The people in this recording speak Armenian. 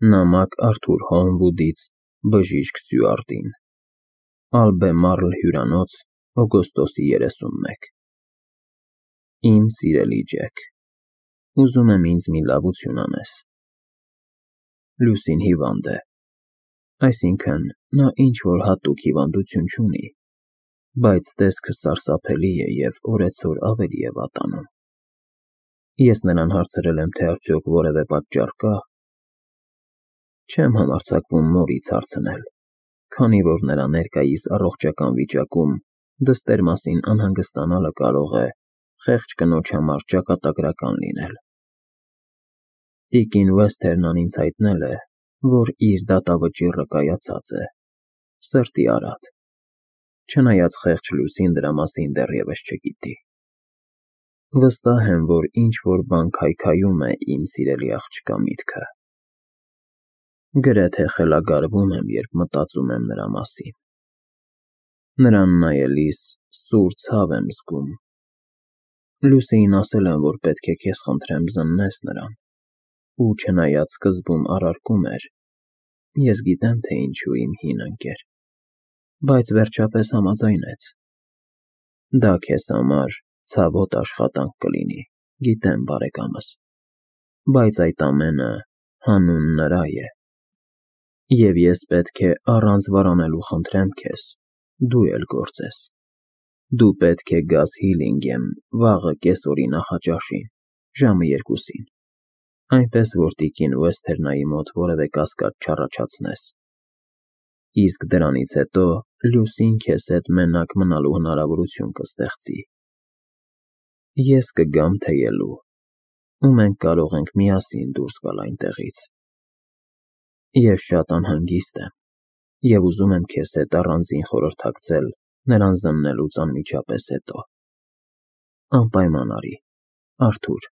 Նամակ Արթուր Հոլմվուդից բժիշկ Սյուարտին, Ալբեմարլ հյուրանոց, օգոստոսի 31 Իմ սիրելի Ջեք, ուզում եմ ինձ մի լավություն անես։ Լուսին հիվանդ է, այսինքն նա ինչ-որ հատուկ հիվանդություն չունի, բայց տեսքը սարսափելի է և օրեցօր ավելի է վատանում։ Ես նրան հարցրել եմ, թե արդյոք որևէ պատճառ կա։ Չեմ համարձակվում մորից հարցնել, քանի որ նրա ներկայիս առողջական վիճակում դստեր մասին անհանգստանալը կարող է խեղճ կնոջ համար ճակատագրական լինել։ Տիկին Վեսթերնան ինձ հայտնել է, որ իր դատավճիռը կայացած է, սրտի արատ, չնայած խեղճ Լուսին դրա մասին դեռևս չգիտի։ Վստահ եմ, որ ինչ-որ բան քայքայում է իմ սիրելի աղջկա միտքը։ Գրեթե խելագարվում եմ, երբ մտածում եմ նրա մասին։ Նրան նայելիս սուր ցավ եմ զգում։ Լուսիին ասել եմ, որ պետք է քեզ խնդրեմ զննես նրան, ու չնայած սկզբում առարկում էր, ես գիտեմ, թե ինչու, իմ հին ընկեր, բայց վերջապես համաձայնեց։ Դա քեզ համար ցավոտ աշխատանք կլինի, գիտեմ, բարեկամս, բայց այդ ամենը հանուն նրա է։ Եվ ես պետք է առանց վարանելու խնդրեմ քեզ, դու էլ գործես։ Դու պետք է գաս Հիլինգեմ վաղը կեսօրի նախաճաշին, ժամը 2-ին, այնպես որ տիկին Վեսթերնայի մոտ որևէ կասկած չառաջացնես։ Իսկ դրանից հետո Լուսին քեզ հետ մենակ մնալու հնարավորություն կստեղծի։ Ես կգամ թեյելու, ու մենք կարող ենք միասին դուրս գալ այնտեղից։ Ես շատ անհանգիստ եմ և ուզում եմ քեզ հետ առանձին խորհրդակցել նրան զննելուց անմիջապես հետո։ Անպայման արի, Արթուր։